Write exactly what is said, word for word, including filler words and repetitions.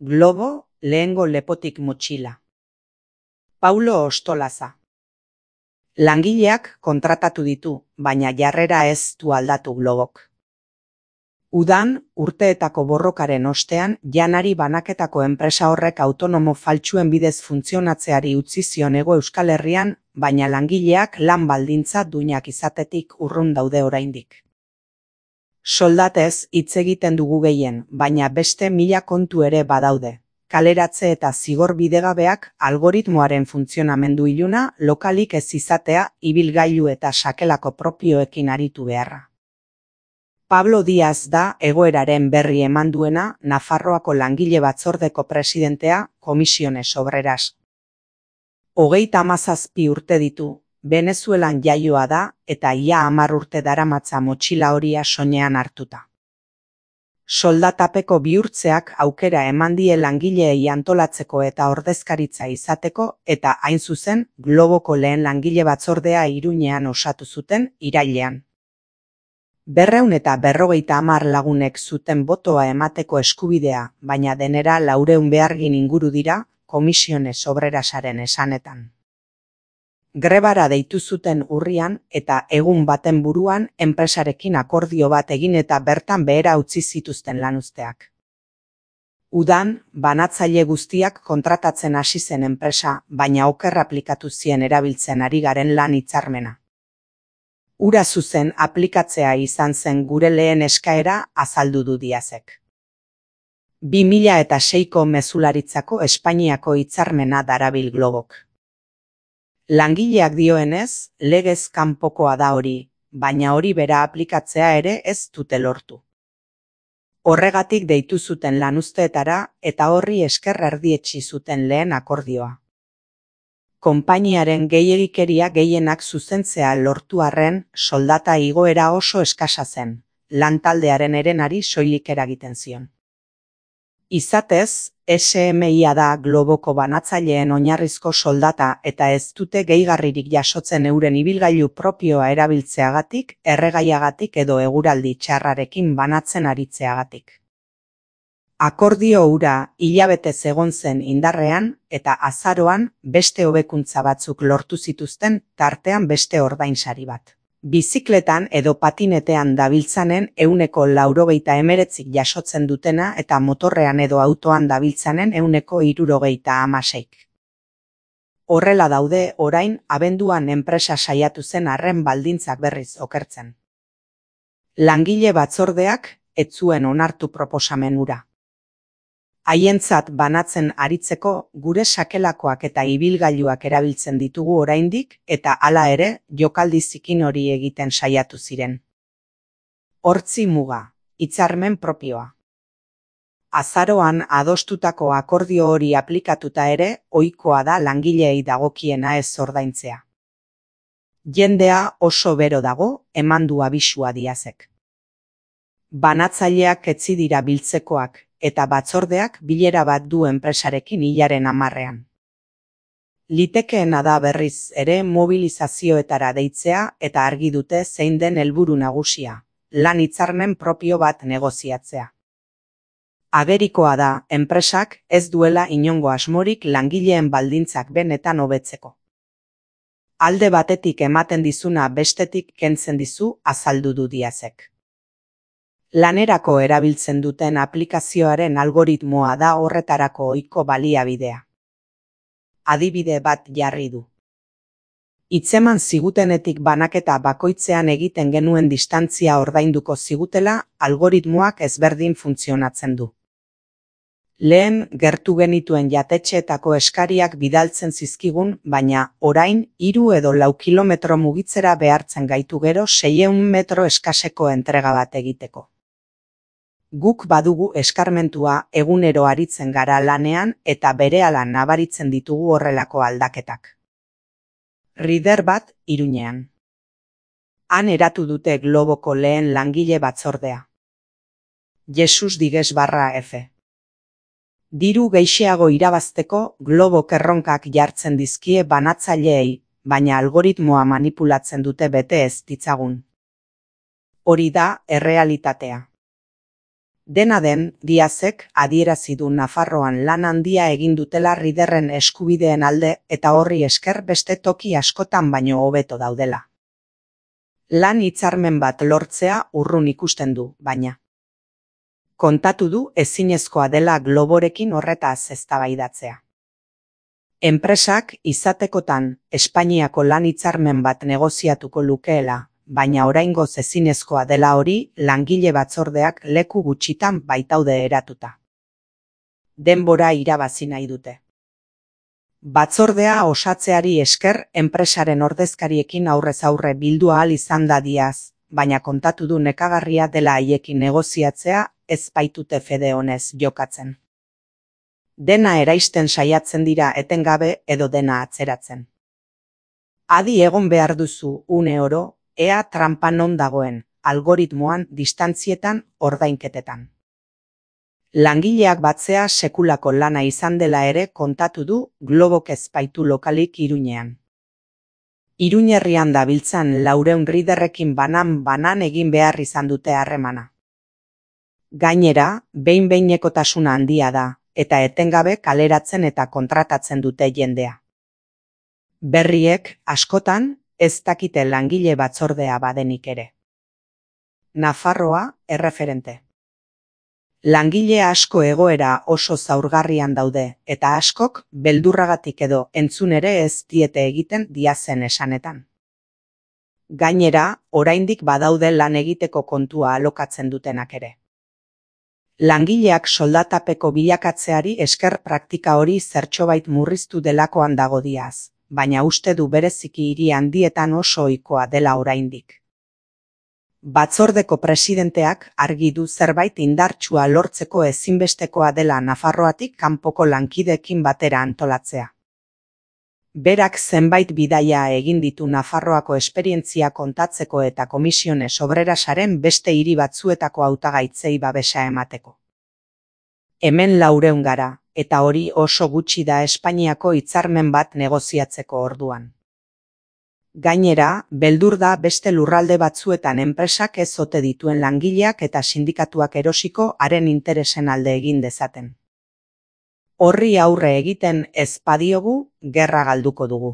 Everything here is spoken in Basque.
Globo, lehengo lepotik motxila. Paulo Ostolaza. Langileak kontratatu ditu, baina jarrera ez du aldatu Globok. Udan, urteetako borrokaren ostean, janari banaketako enpresa horrek autonomo faltsuen bidez funtzionatzeari utzi zion Hego Euskal Herrian, baina langileak lan baldintza duinak izatetik urrun daude oraindik. Soldatez hitz egiten dugu gehien, baina beste mila kontu ere badaude. Kaleratze eta zigor bidegabeak, algoritmoaren funtzionamendu iluna, lokalik ez izatea, ibilgailu eta sakelako propioekin aritu beharra. Pablo Díaz da egoeraren berri eman duena Nafarroako langile batzordeko presidentea, Comisiones Obreras. Hogeita hamazazpi urte ditu, Venezuelan jaioa da eta ia hamar urte daramatza motxila horia soinean hartuta. Soldatapeko bihurtzeak aukera eman die langileei antolatzeko eta ordezkaritza izateko eta hain zuzen Globoko lehen langile batzordea Iruñean osatu zuten irailean. Berreun eta berrogeita hamar lagunek zuten botoa emateko eskubidea, baina denera laureun behargin inguru dira, Comisiones Obrerasaren esanetan. Grebara deitu zuten urrian eta egun baten buruan enpresarekin akordio bat egin eta bertan behera utzi zituzten lanuzteak. Udan, banatzaile guztiak kontratatzen hasi zen enpresa, baina oker aplikatu zien erabiltzen ari garen lan hitzarmena. Ura zuzen aplikatzea izan zen gure lehen eskaera azaldu du Díazek. bi mila seiko mezularitzako Espainiako hitzarmena darabil Globok. Langileak dioenez, legez kanpokoa da hori, baina hori bera aplikatzea ere ez dute lortu. Horregatik deitu zuten lanuzteetara eta horri esker erdietsi zuten lehen akordioa. Konpainiaren gehiegikeria gehienak zuzentzea lortu arren, soldata igoera oso eskasa zen, lantaldearen herenari soilik eragiten zion. Izatez, S M I da Globoko banatzaileen oinarrizko soldata eta ez dute gehigarririk jasotzen euren ibilgailu propioa erabiltzeagatik, erregaiagatik edo eguraldi txarrarekin banatzen aritzeagatik. Akordio hura hilabetez egon zen indarrean eta azaroan beste hobekuntza batzuk lortu zituzten tartean beste ordainsari bat. Bizikletan edo patinetean dabiltzanen ehuneko laurogeita hemeretzik jasotzen dutena eta motorrean edo autoan dabiltzanen ehuneko hirurogeita hamaseik. Horrela daude orain abenduan enpresa saiatu zen arren baldintzak berriz okertzen. Langile batzordeak ez zuen onartu proposamen hura. Haientzat banatzen aritzeko gure sakelakoak eta ibilgailuak erabiltzen ditugu oraindik eta hala ere jokaldi zikin hori egiten saiatu ziren. Hortzi muga, hitzarmen propioa. Azaroan adostutako akordio hori aplikatuta ere ohikoa da langileei dagokiena ez ordaintzea. Jendea oso bero dago, eman du abisua Díazek. Banatzaileak etzi dira biltzekoak, eta batzordeak bilera bat du enpresarekin hilaren hamarrean. Litekeena da berriz ere mobilizazioetara deitzea eta argi dute zein den helburu nagusia, lan hitzarmen propio bat negoziatzea. Agerikoa da enpresak ez duela inongo asmorik langileen baldintzak benetan hobetzeko. Alde batetik ematen dizuna bestetik kentzen dizu azaldu du Díazek. Lanerako erabiltzen duten aplikazioaren algoritmoa da horretarako ohiko baliabidea. Adibide bat jarri du. Hitzeman zigutenetik banaketa bakoitzean egiten genuen distantzia ordainduko zigutela, algoritmoak ezberdin funtzionatzen du. Lehen gertu genituen jatetxeetako eskariak bidaltzen zizkigun, baina orain hiru edo lau kilometro mugitzera behartzen gaitu gero seiehun metro eskaseko entrega bat egiteko. Guk badugu eskarmentua egunero aritzen gara lanean eta berehala nabaritzen ditugu horrelako aldaketak. Rider bat Iruñean. Han eratu dute Globoko lehen langile batzordea. Jesus Digues barra F. Diru gehixeago irabazteko Globok erronkak jartzen dizkie banatzaileei, baina algoritmoa manipulatzen dute bete ez ditzagun. Hori da errealitatea. Dena den, Diazek adierazi du Nafarroan lan handia egin dutela Riderren eskubideen alde eta horri esker beste toki askotan baino hobeto daudela. Lan hitzarmen bat lortzea urrun ikusten du, baina. Kontatu du ezinezkoa dela Globorekin horretaz eztabaidatzea. Enpresak izatekotan Espainiako lan hitzarmen bat negoziatuko lukeela, baina oraingoz ezinezkoa dela hori langile batzordeak leku gutxitan baitaude eratuta. Denbora irabazi nahi dute. Batzordea osatzeari esker enpresaren ordezkariekin aurrez aurre bildu ahal izan da Diaz, baina kontatu du nekagarria dela haiekin negoziatzea ez baitute fede onez jokatzen. Dena eraisten saiatzen dira etengabe edo dena atzeratzen. Adi egon behar duzu une oro, ea trampa non dagoen, algoritmoan, distantzietan, ordainketetan. Langileak batzea sekulako lana izan dela ere kontatu du Globok ez baitu lokalik Iruñean. Iruñerrian dabiltzan laurehun Riderrekin banan-banan egin behar izan dute harremana. Gainera, behin-behinekotasuna handia da, eta etengabe kaleratzen eta kontratatzen dute jendea. Berriek, askotan, ez dakite langile batzordea badenik ere. Nafarroa, erreferente. Langile asko egoera oso zaurgarrian daude, eta askok beldurragatik edo entzun ere ez diete egiten Diazen esanetan. Gainera, oraindik badaude lan egiteko kontua alokatzen dutenak ere. Langileak soldatapeko bilakatzeari esker praktika hori zertxobait murriztu delakoan dago Diaz, baina uste du bereziki hiri handietan oso ohikoa dela oraindik. Batzordeko presidenteak argi du zerbait indartsua lortzeko ezinbestekoa dela Nafarroatik kanpoko lankideekin batera antolatzea. Berak zenbait bidaia egin ditu Nafarroako esperientzia kontatzeko eta Komisiones Obrerasaren beste hiri batzuetako hautagaitzei babesa emateko. Hemen laurehun gara, eta hori oso gutxi da Espainiako hitzarmen bat negoziatzeko orduan. Gainera, beldur da beste lurralde batzuetan enpresak ez ote dituen langileak eta sindikatuak erosiko haren interesen alde egin dezaten. Horri aurre egiten ez badiogu, gerra galduko dugu.